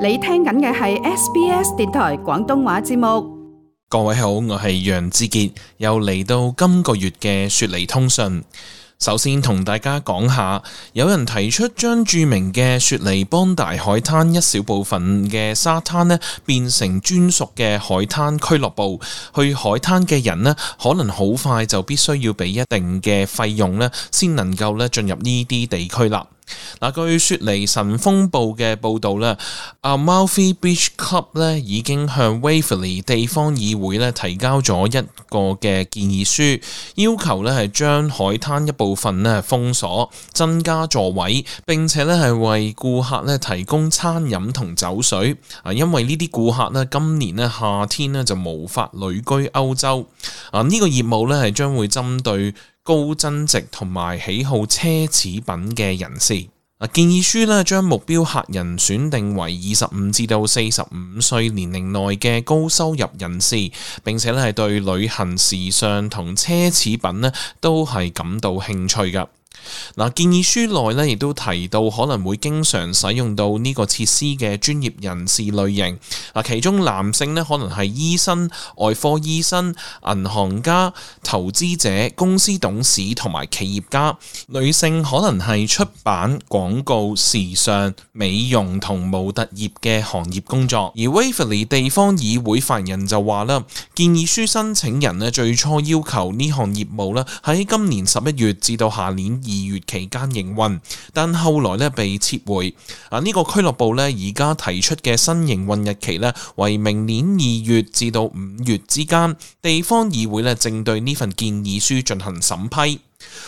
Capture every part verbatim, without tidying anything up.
你聽緊嘅係 S B S 電台廣東話節目。各位好，我係楊志傑，又嚟到今個月嘅雪梨通訊。首先同大家講下，有人提出將著名嘅雪梨邦大海灘一小部分嘅沙灘呢變成專屬嘅海灘俱樂部。去海灘嘅人呢，可能好快就必須要俾一定嘅費用呢，先能夠咧進入呢啲地區啦。嗱，據雪梨晨鋒報嘅報導咧，Amalfi Beach Club 咧已經向 Waverley 地方議會咧提交咗一個嘅建議書，要求咧係將海灘一部分咧封鎖，增加座位，並且咧係為顧客咧提供餐飲同酒水。啊，因為呢啲顧客咧今年咧夏天咧就無法旅居歐洲。啊，呢個業務咧係將會針對高增值同埋喜好奢侈品嘅人士。建議書咧將目標客人選定為二十五至到四十五歲年齡內嘅高收入人士，並且咧係對旅行、時尚同奢侈品咧都係感到興趣㗎。嗱，建議書內咧亦都提到可能會經常使用到呢個設施嘅專業人士類型。嗱，其中男性咧可能係醫生、外科醫生、銀行家、投資者、公司董事同埋企業家；女性可能係出版、廣告、時尚、美容同模特業嘅行業工作。而 Waverley 地方議會發言人就話啦，建議書申請人咧最初要求呢項業務咧喺今年十一月至到下年二月期間營運，但後來咧被撤回。啊，呢個俱樂部咧而家提出嘅新營運日期咧為明年二月至到五月之間。地方議會咧正對呢份建議書進行審批。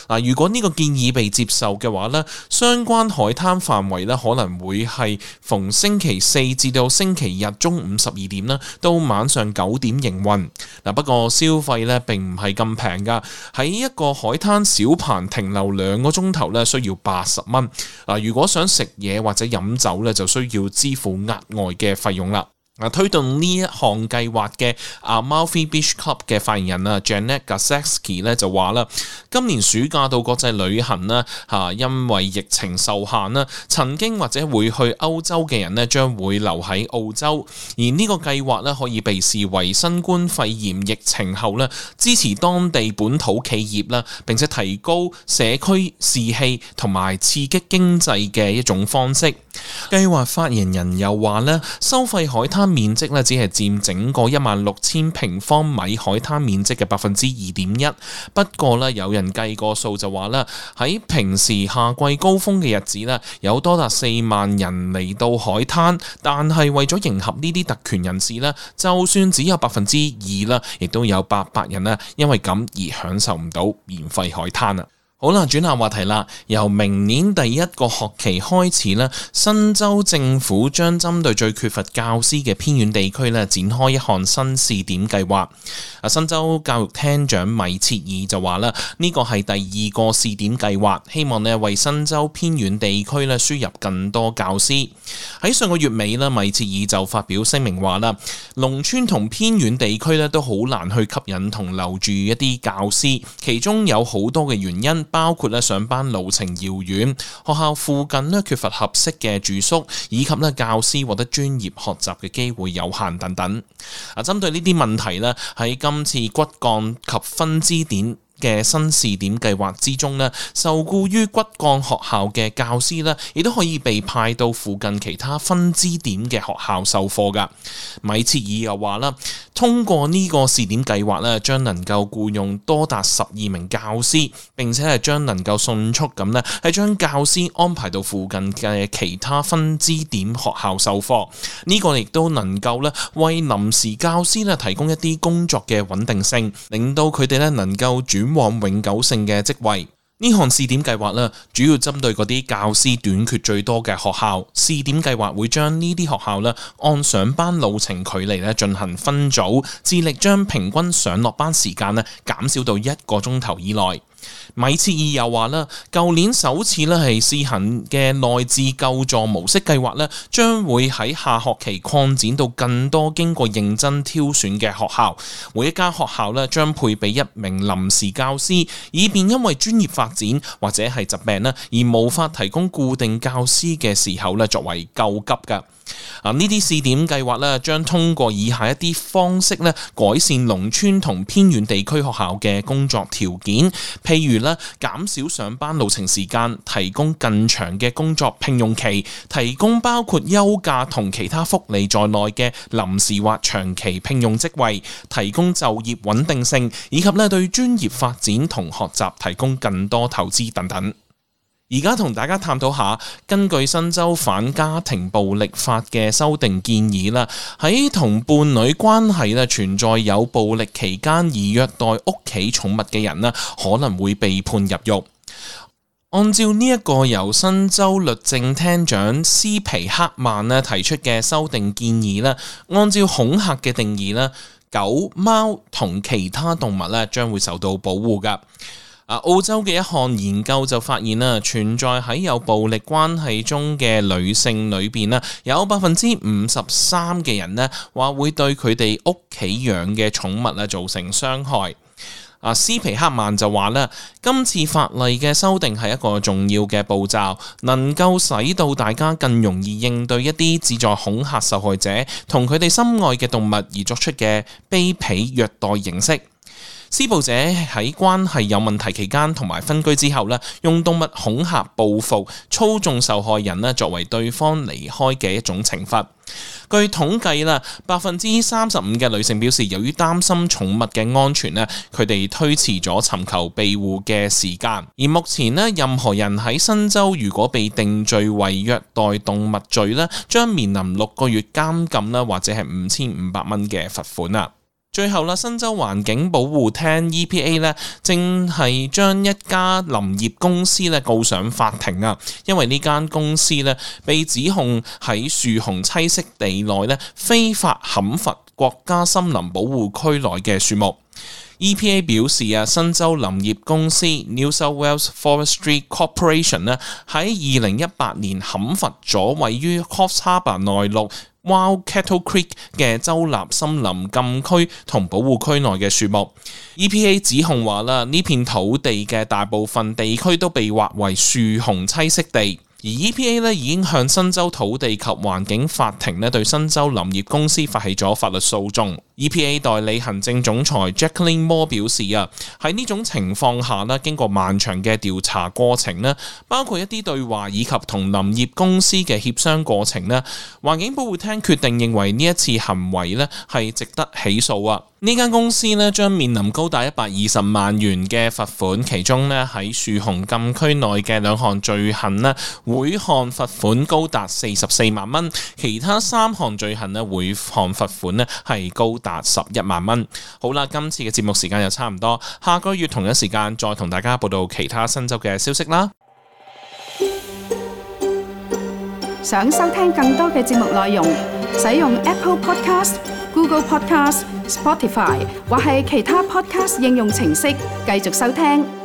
嗱，如果呢個建議被接受嘅話呢，相關海灘範圍呢可能會係逢星期四至到星期日中午十二點啦，到晚上九點營運。嗱，不過消費呢並唔係咁平噶，喺一個海灘小棚停留兩個鐘頭呢需要八十蚊。嗱，如果想食嘢或者飲酒呢，就需要支付額外嘅費用啦。推動呢一項計劃嘅 Amalfi Beach Club 嘅發言人啊 Janet Gaszewski 咧就話啦，今年暑假到國際旅行啦嚇，因為疫情受限啦，曾經或者會去歐洲嘅人咧將會留喺澳洲，而呢個計劃咧可以被視為新冠肺炎疫情後咧支持當地本土企業啦，並且提高社區士氣同埋刺激經濟嘅一種方式。計劃發言人又話咧，收費海灘面積咧只係佔整個一萬六千平方米海灘面積嘅百分之二點一。不過咧，有人計過數就話咧，喺平時夏季高峰嘅日子咧，有多達四萬人嚟到海灘，但係為咗迎合呢啲特權人士咧，就算只有百分之二啦，亦都有八百人啦，因為咁而享受唔到免費海灘啊！好啦，轉下話題啦。由明年第一個學期開始咧，新州政府將針對最缺乏教師嘅偏遠地區咧，展開一項新試點計劃。啊，新州教育廳長米切爾就話啦，呢個係第二個試點計劃，希望咧為新州偏遠地區咧輸入更多教師。喺上個月尾咧，米切爾就發表聲明話啦，農村同偏遠地區咧都好難去吸引同留住一啲教師，其中有好多嘅原因。包括咧上班路程遙遠，學校附近咧缺乏合適嘅住宿，以及咧教師獲得專業學習嘅機會有限等等。啊，針對呢啲問題咧，喺今次骨幹及分支點嘅新試點計劃之中咧，受僱於骨幹學校嘅教師咧，亦都可以被派到附近其他分支點嘅學校授課噶。米切爾又話啦，通過呢個試點計劃咧，將能夠僱用多達十二名教師，並且係將能夠迅速咁咧，係將教師安排到附近嘅其他分支點學校授課。呢個亦都能夠咧為臨時教師咧提供一啲工作嘅穩定性，令到佢哋咧能夠轉往永久性嘅職位。呢項試點計劃咧，主要針對嗰啲教師短缺最多嘅學校。試點計劃會將呢啲學校咧按上班路程距離咧進行分組，致力將平均上落班時間咧減少到一個鐘頭以內。米切爾又話啦，舊年首次咧係試行嘅內置救助模式計劃咧，將會喺下學期擴展到更多經過認真挑選嘅學校。每一間學校咧將配備一名臨時教師，以便因為專業發展或者係疾病咧而無法提供固定教師嘅時候咧作為救急㗎。啊，呢啲試點計劃咧，將通過以下一啲方式咧，改善農村同偏遠地區學校嘅工作條件，譬如咧，減少上班路程時間，提供更長嘅工作聘用期，提供包括休假同其他福利在內嘅臨時或長期聘用職位，提供就業穩定性，以及咧對專業發展同學習提供更多投資等等。而家同大家探討下，根據新州反家庭暴力法嘅修訂建議啦，喺同伴侶關係咧存在有暴力期間而虐待屋企寵物嘅人咧，可能會被判入獄。按照呢一個由新州律政廳長斯皮克曼咧提出嘅修訂建議咧，按照恐嚇嘅定義咧，狗、貓同其他動物咧將會受到保護㗎。澳洲嘅一項研究就發現啦，存在喺有暴力關係中嘅女性裏邊啦，有百分之五十三嘅人呢話會對佢哋屋企養嘅寵物咧造成傷害。啊，斯皮克曼就話啦，今次法例嘅修訂係一個重要嘅步驟，能夠使到大家更容易應對一啲旨在恐嚇受害者同佢哋心愛嘅動物而作出嘅卑鄙虐待形式。施暴者喺關係有問題期間同埋分居之後咧，用動物恐嚇、報復、操縱受害人咧，作為對方離開嘅一種懲罰。據統計啦，百分之三十五嘅女性表示，由於擔心寵物嘅安全咧，佢哋推遲咗尋求庇護嘅時間。而目前咧，任何人喺新州如果被定罪為虐待動物罪咧，將面臨六個月監禁啦，或者係五千五百蚊嘅罰款啊。最後啦，新州環境保護廳 E P A 咧，正係將一家林業公司咧告上法庭啊，因為呢間公司咧被指控喺樹熊棲息地內咧非法砍伐國家森林保護區內嘅樹木。E P A 表示啊，新州林業公司 New South Wales Forestry Corporation 咧喺二零一八年砍伐咗位於 Coffs Harbour 內陸Wild Cattle Creek 嘅州立森林禁區同保護區內嘅樹木。E P A 指控話啦，呢片土地嘅大部分地區都被劃為樹熊棲息地。而 E P A 咧已經向新州土地及環境法庭咧對新州林業公司發起咗法律訴訟。E P A 代理行政總裁 Jacqueline Moore 表示啊，喺呢種情況下咧，經過漫長嘅調查過程咧，包括一啲對話以及同林業公司嘅協商過程咧，環境保護廳決定認為呢一次行為咧係值得起訴啊。呢間公司咧將面臨高達一百二十萬元嘅罰款，其中咧喺樹熊禁區內嘅兩項罪行咧，每項罰款高達四十四萬蚊，其他三項罪行咧，每項罰款咧係高達十一萬蚊。好啦，今次嘅節目時間又差唔多，下個月同一時間再同大家報道其他新州嘅消息啦。想收聽更多嘅節目內容，使用 Apple Podcast、Google Podcast、Spotify 或係其他 Podcast 應用程式繼續收聽。